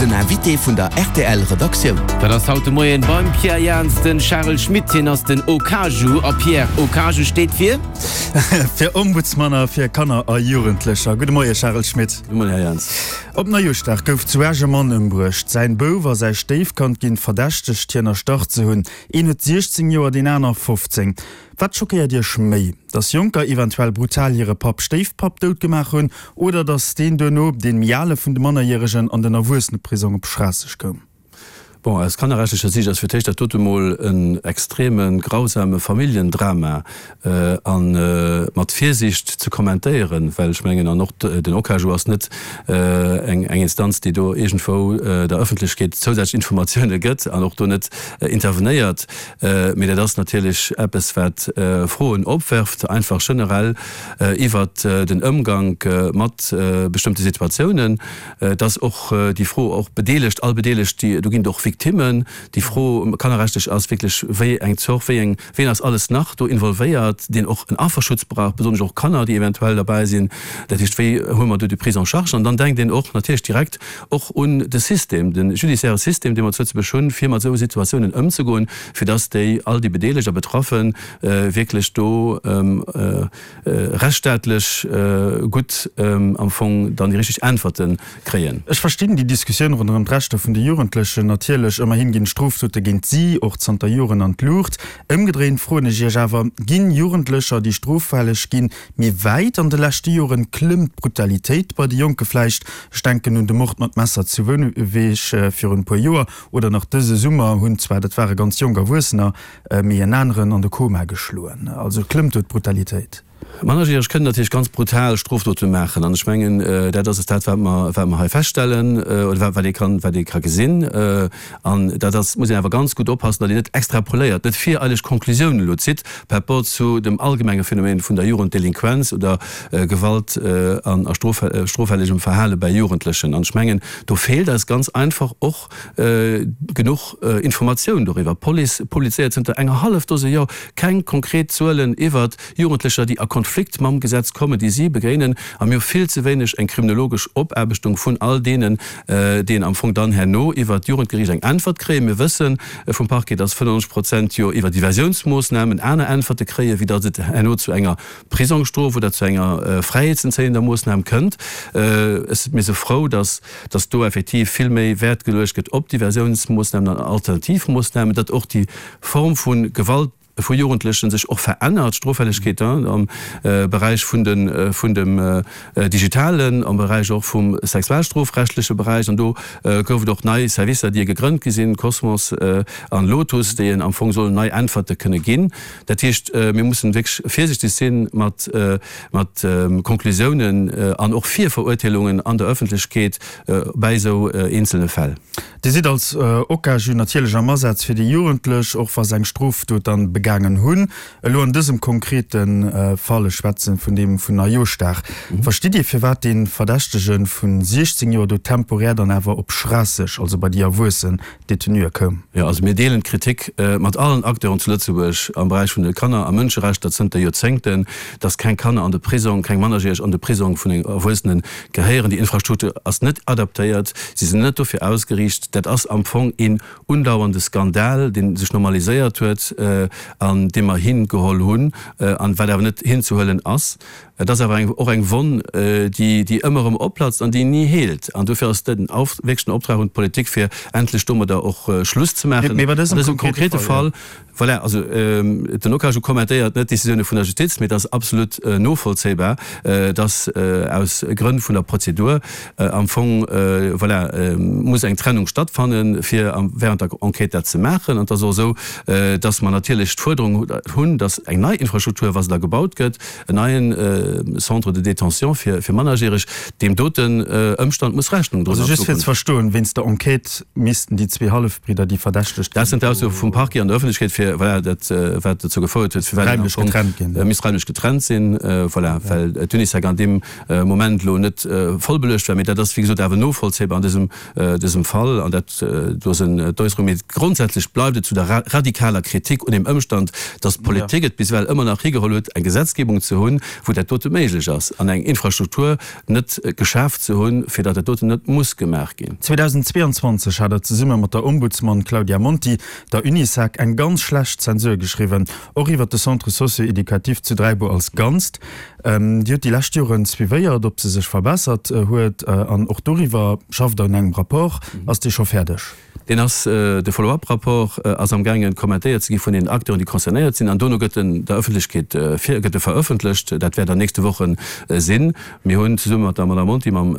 Den Invité vun der rtl Redaktioun. Dat ass haut de Moien beim Pierre Jans den Charel Schmit. Hien ass den Okaju. A Pierre, Okaju steet fir? Fir Ombudsman a fir Kanner a Jugendlecher. Gudde Moie Charel Schmit. Gudde Moien Här Jans. Op Neijooschdag gouf zu Esch e Mann ëmbruecht. Säin Bouf a säi Stéifkand ginn verdächtegt hien erstach ze hunn. Een huet 16 Joer, deen aner 15. Wat schockéiert Iech méi, dass Jonker eventuell brutal hire Papp, Stéifpapp dout gemaach hunn oder dass deen duerno, deen méi ale vun de Mannerjäregen, an den Erwuesseneprisong op Schraasseg koum? Bon, aus kannerrechtlecher Siicht ass fir d'éischt dat dote mol en extreme grausame Familljendrama a mat Virsiicht ze kommentéieren, well ech mengen, an och den OCAJU ass net eng Instanz, déi do iergendwou der Ëffentlechkeet zousätzlech Informatioune gëtt an och do net intervenéiert. Mee dat ass natierlech eppes, wat Froen opwerft, einfach generell iwwert den Ëmgank mat bestëmmte Situatiounen. Et ass och déi Fro, och Bedeelegt, all Bedeelegt, déi, do ginn et och Victimmen, déi Fro kannerrechtlech ass wierklech, wéi eng Zort, wéi eng, wien ass alles nach do involvéiert, deen och en Afferschutz brauch, besonnesch och Kanner, déi eventuell derbäi sinn. Dat heescht, wéi huele mer do déi Prise en charge? An dann denkt een och natierlech direkt och un de System, de judiciaire System, dee mer zu Lëtzebuerg hunn, fir mat esou Situatiounen ëmzegoen, fir dass déi, all déi Bedeelegt a Betraffe wierklech do rechtsstaatlech gutt am Fong dann déi richteg Äntwerte kréien. Ech verstinn déi Diskussioun ronderëm d'Rechter vun de Jugendlechen natierlech. Ëmmerhin ginn d'Strofdote géint si och zanter Joren an d'Luucht. Ëmgedréint froen ech Iech awer, Ginn Jugendlecher, déi stroffälleg ginn, méi wäit? An de leschte Joren klëmmt d'Brutalitéit bei de Jonke vläicht. Ech denken un de Mord mat Messer zu Bouneweg virun e puer Joer oder nach dëse Summer hunn zwar, dat ware ganz jonk Erwuessener, Mee en aneren an de Koma geschloen. Also klëmmt do d'Brutalitéit. Mannerjäreg kënnen natierlech ganz brutal Strofdote maachen. An ech mengen, dat ass et dat, wat mer, wat mer hei feststellen oder wat, wat ee kann, wat ee ka gesinn. An dat ass, muss een awer ganz gutt oppassen, datt een net extrapoléiert, net vireileg Konklusiounen elo zitt par rapport zu dem allgemenge Phänomen vun der Jugenddelinquenz oder Gewalt an a stroffällegem Verhale bei Jugendlechen. An ech mengen, do feelt eis ganz einfach och, genuch Informatioun doriwwer. D'Police publizéiert zënter enger hallef Dose Joer keng konkret Zuelen iwwert Jugendlecher, déi a Konflikt mam Gesetz kommen, déi si begéinen. A mir hu vill ze wéineg eng kriminologesch Opaarbechtung vun all deenen, déi am Fong dann herno iwwert d'Jugendgeriicht eng Äntwert kréien. Mir wësse vum Parquet, dass 95 Prozent jo iwwer Diversiounsmoossnamen aner Äntwerte kréien, wéi datt et herno zu enger Prisongsstrof oder zu enger fräiheetsentzéiender Moossnam kënnt. Ech mir si frou, dass dass do effektiv vill méi Wäert geluecht gëtt op Diversiounsmoossnamen an Alternativmoossnamen, datt och déi Form vu Gewalt vu Jugendlechen sech och verännert, d'Stroffällegkeet am Beräich vun de vun dem Digitalen, am Beräich och vum sexualstrofrechtleche Beräich. An do gouf et och nei Servicer, déi gegrënnt gi sinn, Cosmos an Lotus, déi en am Fong sollen nei Äntwerte kënne ginn. Dat heescht, mir mussen wierklech virsichteg si mat mat Konklusiounen an och Virverurteelungen an der Ëffentlechkeet bäi esou eenzelne Fäll. Dir sidd als OCAJU natierlech am Asaz fir déi Jugendlech, och wa se eng Strofdot dann begaangen hunn. Elo an dësem konkrete Fall, ech schwätzen vun deem vun Neijooschdag, verstitt Dir firwat dee Verdächtege vu 16 Joer do temporär dann awer op Schraasseg, also bei déi Erwuessen, Detenuë koum. Jo, also mir deelen d'Kritik mat allen Acteuren zu Lëtzebuerg am Beräich vun de Kanner a Mënscherechter zënter Joerzéngten, dass keng Kanner an de Prisong, keng Mannerjäreg an de Prisong vun engem Erwuessene gehéieren. Déi Infrastruktur ass net adaptéiert, si sinn net dofir ausgeriicht. Dat ass am Fong een undauernde Skandal, dee sech normaliséiert huet an dee mer hingeholl hunn an wat awer net hinzehuelen ass. Et ass awer eng, och eng Wonn, déi, déi ëmmer erëm opplatzt an déi ni heelt. An dofir ass den Auf, wierklech den Optrag un d'Politik, fir endlech domadder och Schluss ze maachen. Mee bei dësem konkrete Fall, jo. Voilà, also den OCAJU kommentéiert net d'Decisioune vun der Justiz, mee et ass absolut novollzéibar, dass aus Grënn vun der Prozedur am Fong, voilà, muss eng Trennung stattfannen, fir während der Enquête dat ze maachen. An et ass och esou, dass mer natierlech d'Fuerderung hunn, dass eng nei Infrastruktur, wa se da gebaut gëtt, En neien Centre de détention fir Mannerjäreg, deem doten Ëmstand muss Rechnung droen an Also just fir ze verstoen, wéinst der Enquête missten déi zwee Hallefbridder, déi verdächtegt Dat sinn d'Aussoe vum Parquet an der Ëffentlechkeet, fir, voilà, dat wat dozou gefouert huet, firwat een am Fong getrennt ginn, misst raimlech getrennt sinn, voilà, well d'Unisec an deem Moment elo net voll beluecht war. Mee dat ass, wéi gesot, awer novollzéibar an dësem dësem Fall an dat do sinn d'Äusserungen. Mee grondsätzlech bleift et zu der radikaler Kritik un deem Ëmstand. Zoustand, datt d'Politik et bis ewell ëmmer nach higeholl huet, eng Gesetzgebung ze hunn, wou dat dote méiglech ass, an eng Infrastruktur net geschaf ze hunn, fir datt dat doten net muss gemaach ginn. 2022 hat Der zesumme mat der Ombudsman Claudia Monti der Unisec eng ganz schlecht Zensur geschriwwen, och iwwert de Centre socio-éducatif zu Dräibuer als Ganzt. Dir hutt déi lescht Joren suivéiert, ob se sech verbessert huet, an och doriwwer schafft Der un engem Rapport. Ass dee scho fäerdeg? Deen ass, de Follow-up-Rapport ass amgaangen kommentéiert ze gi vun den Acteuren, déi concernéiert sinn, an dono gëtt en der Ëffentlechkeet vir, gëtt e verëffentlecht. Dat wäert an nächste Woche sinn. Mir hunn zesumme mat der Madame Monti, mam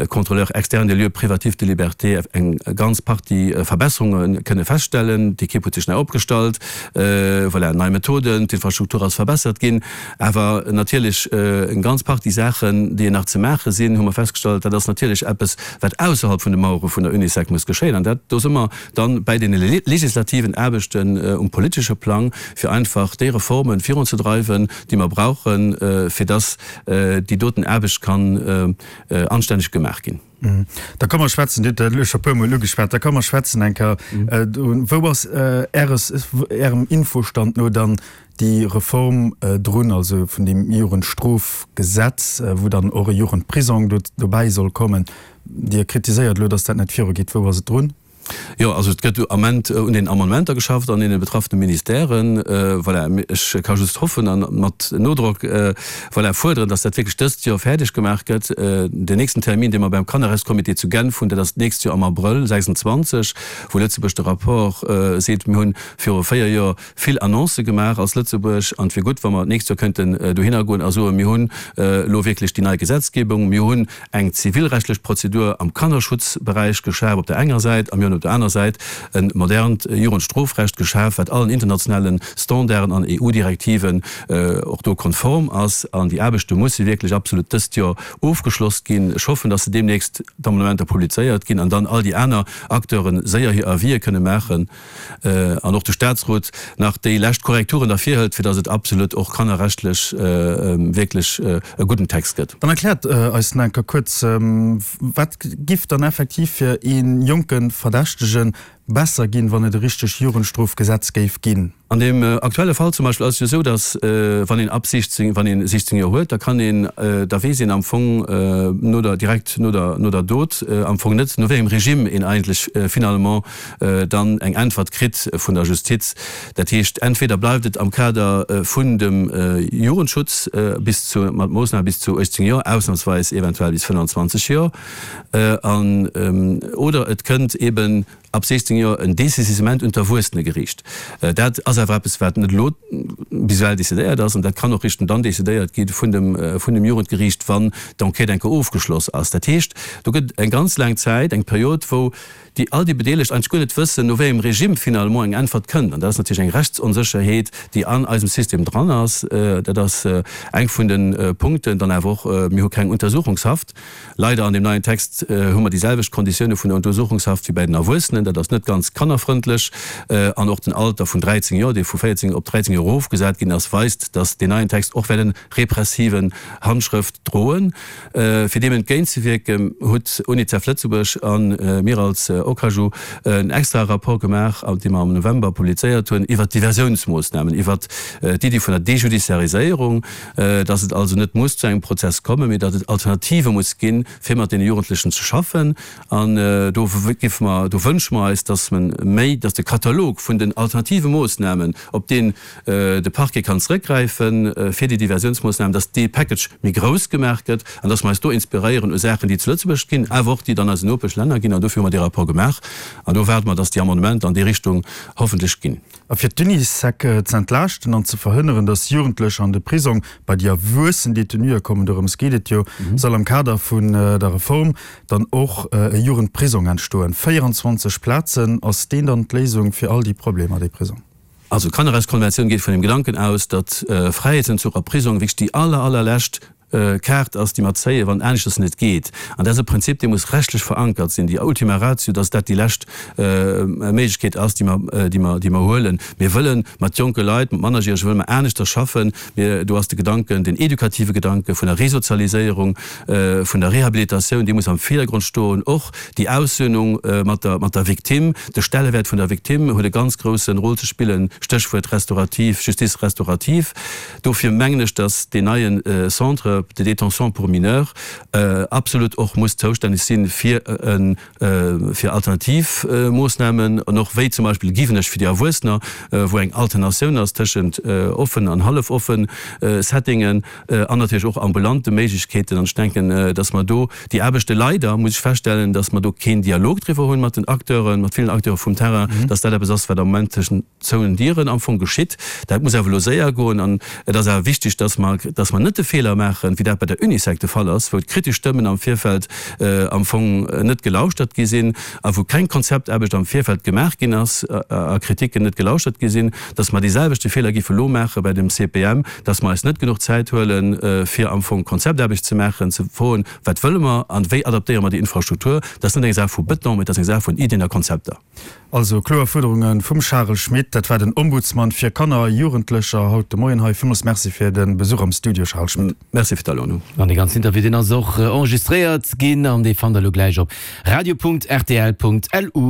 Contrôleur externe des lieux privatifs de liberté eng ganz Partie Verbesserunge kënne feststellen. D'Ekipp huet sech nei opgestallt, voilà, nei Methoden, d'Infrastruktur ass verbessert ginn. Awer natierlech eng ganz Partie Saachen, déi nach ze maache sinn, hu mer festgestallt. Dat ass natierlech eppes, wat ausserhalb vun de Mauere vun der Unisec muss geschéien. An dat, do si mer dann bäi deene legislativen Aarbechten um politesche Plang, fir einfach déi Reforme virunzedreiwen, déi mer brauchen, fir dass déi doten Aarbecht kann anstänneg gemaach ginn. Da ka mer schwätzen, Dir hutt dat elo scho e puermol ugeschwat, da ka mer schwätzen eng Kéier, wou ass Äres, Ärem Infostand no dann déi Reform drun, also vun deem Jugendstrofgesetz, wou dann och e Jugendprisong do dobäi soll kommen? Dir kritiséiert elo, datt dat net virugeet. Wou ass et drun? Jo, also et gëtt Ament un den Amendementer geschafft an deene betraffene Ministèren. Voilà, ech ka just hoffen a mat Nodrock, voilà, fuerderen, datt dat wierklech dëst Joer fäerdeg gemaach gëtt. Den nächsten Termin, dee mer beim Kannerrechtscomité zu Genf hunn, dat ass d'nächst Joer am Abrëll 26, wou Lëtzebuerg de Rapport seet, mir hunn viru 4 Joer vill Annoncë gemaach als Lëtzebuerg an et wier gutt, wa mer d'nächst Joer kënnten dohinner goen a soen, mir hunn elo wierklech déi nei Gesetzgebung, mir hunn eng zivilrechtlech Prozedur am Kannerschutzberäich geschaf op der enger Säit a mir hunn op der aner Säit e modernt Jugendstrofrecht geschaf, wat allen internationale Standarden an EU-Direktiven och do konform ass. An déi Aarbechte musse wierklech absolut dëst Joer ofgeschloss ginn. Ech hoffen, dass se deemnächst d'Amendementer publizéiert ginn an dann all déi aner Acteure séier hir Avisë kënne maachen. an och de Statsrot nach déi lescht Korrekturen da virhëlt, fir datt et absolut och kannerrechtlech wierklech e gudden Text gëtt. Dann erkläert eis nach eng Kéier kuerz, Wat giff dann effektiv fir ee jonke Verdächtege besser ginn, wann et e richtegt Jugendstrofgesetz géif ginn? An deem aktuelle Fall zum Beispill ass et jo esou, datt wann een ab 16, wann een 16 Joer huet, da kann een, da weess een am Fong no der, direkt no der, no der Dot am Fong net, no wéi engem Regime een eigentlech finalement dann eng Äntwert kritt vun der Justiz. Dat heescht, entweder bleift et am Kader vun dem Jugendschutz bis zu, mat Moossname bis zu 18 Joer, ausnahmsweis eventuell bis 25 Joer, an, oder et kënnt eben ab 16 Joer en Dessaisissement un d'Erwuessenegeriicht. Dat ass awer eppes, wat net elo bis ewell decidéiert ass, an dat kann och richten dann decidéiert gi vun dem, vun dem Jugendgeriicht, wann d'Enquête eng Kéier ofgeschloss ass. Dat heescht, do gëtt et eng ganz laang Zäit, eng Period, wou déi all déi Bedeelegt eigentlech guer net wëssen, no wéi engem Regime finalement eng Äntwert kënnt. An dat ass natierlech eng Rechtsonsécherheet, déi an eisem System dran ass. Dat ass eng vun de Punkten. Dann awer och, mir hu keng Untersuchungshaft. Leider an deem neien Text hu mer déi selwecht Konditioune vun der Untersuchungshaft wéi bäi den Erwuessenen. Dat ass net ganz kannerfrëndlech. An och den Alter vun 13 Joer, dee vu 14 op 13 Joer erofgesat ginn ass, weist, datt deen neien Text och wäert en repressiven Handschrëft droen. Fir deem entgéintzewierken, huet Unicef Lëtzebuerg a mir als OKAJU en extrae Rapport gemaach, dee mer am November publizéiert hunn, iwwert d'Diversiounsmoossnamen, iwwert d'Iddi vun der Dejudiciariséierung, dass et also net muss zu engem Prozess kommen, mee datt et Alternative muss ginn, fir mat deene Jugendlechen ze schaffen. An do géife mer, do wënsche mer eis, dass men méi, dass de Katalog vun den alternative Moossnamen, op deen de Parquet kann zrëckgräifen fir déi Diversiounsmoossnamen, dass dee Package méi grouss gemaach gëtt an dass mer eis do inspiréieren u Saachen, déi zu Lëtzebuerg ginn, awer och déi et an eisen Nopeschlänner ginn. An dofir hu mer dee Rapport gemaach an do waarde mer, dass déi Amendementer an déi Richtung hoffentlech ginn. A fir d'Unisec ze entlaaschten an ze verhënneren, dass Jugendlecher an de Prisong bei déi erwuessen Detenuë kommen, dorëms geet et jo, soll am Kader vun der Reform dann och e Jugendprisong entstoen. 24 Plazen, ass deen dann d'Léisung fir all déi Problemer, dee Prisong? Also d'Kannerrechtskonventioun geet vun dem Gedanken aus, datt Fräiheetsentzuch a Prisong wierklech déi aller, allerlescht. Kaart ass, déi mer zéien, wann aneschters net geet. An dat ass e Prinzip, dee muss rechtlech verankert sinn, déi Ultima Ratio, dass dat déi lescht Méiglechkeet ass, déi mer, déi mer, déi mer huelen. Mir wëlle mat jonke Leit, mat Mannerjärege wëlle mer aneschters schaffen. Mir, do ass de Gedanken, den edukative Gedanke vun der Resozialiséierung, vun der Rehabilitatioun, dee muss am Virdergrond stoen. Och déi Aussöhnung mat der, mat der Victime, de Stellewäert vun der Victime huet e ganz grousse Rôle ze spillen, Stéchwuert restaurativ, Justice restaurative. Dofir mengen ech, dass deen neie Centre de détention pour mineurs absolut och muss zoustänneg si fir fir alternativ Moossnamen an och wéi zum Beispill Giwenech fir déi Erwuessener, wou eng Alternatioun ass tëschent offen an hallef offen Settingen an natierlech och ambulante Méiglechkeeten. An ech denken, dass mer do déi Aarbechte leider, muss ech feststellen, dass mer do keen Dialog driwwer hunn mat den Acteuren, mat villen Acteure vum Terrain, dass dat eppes ass, wat am Moment tëschent zouen Dieren am Fong geschitt. Dat muss awer elo séier goen an et ass awer wichteg, dass mer, dass mer net de Feeler maachen, wéi dat bei der Unisec de Fall ass, wou d'kritesch Stëmmen am Virfeld am Fong net gelauschtert gi sinn a wou keng Konzeptaarbecht am Virfeld gemaach ginn ass a Kritiken net gelauschtert gi sinn, dass mer deeselwechte Feeler géife elo maache bei dem CPM, dass mer eis net genuch Zäit huelen, fir am Fong Konzeptaarbecht ze maachen, ze froen, Wat wëlle mer an wéi adaptéiere mer déi Infrastruktur? Dat ass net eng Saach vu Beton, mä dat ass eng Saach vun Iddien a Konzepter. Also kloer Fuerderunge vum Charel Schmit. Dat war den Ombudsman fir Kanner a Jugendlecher haut de Moien hei. Villmools Merci fir de Besuch am Studio, Charel Schmit. Merci fir d'Aluedung. An dee ganzen Interview, deen ass och enregistréiert ginn an dee fannt der elo gläich op radio.rtl.lu.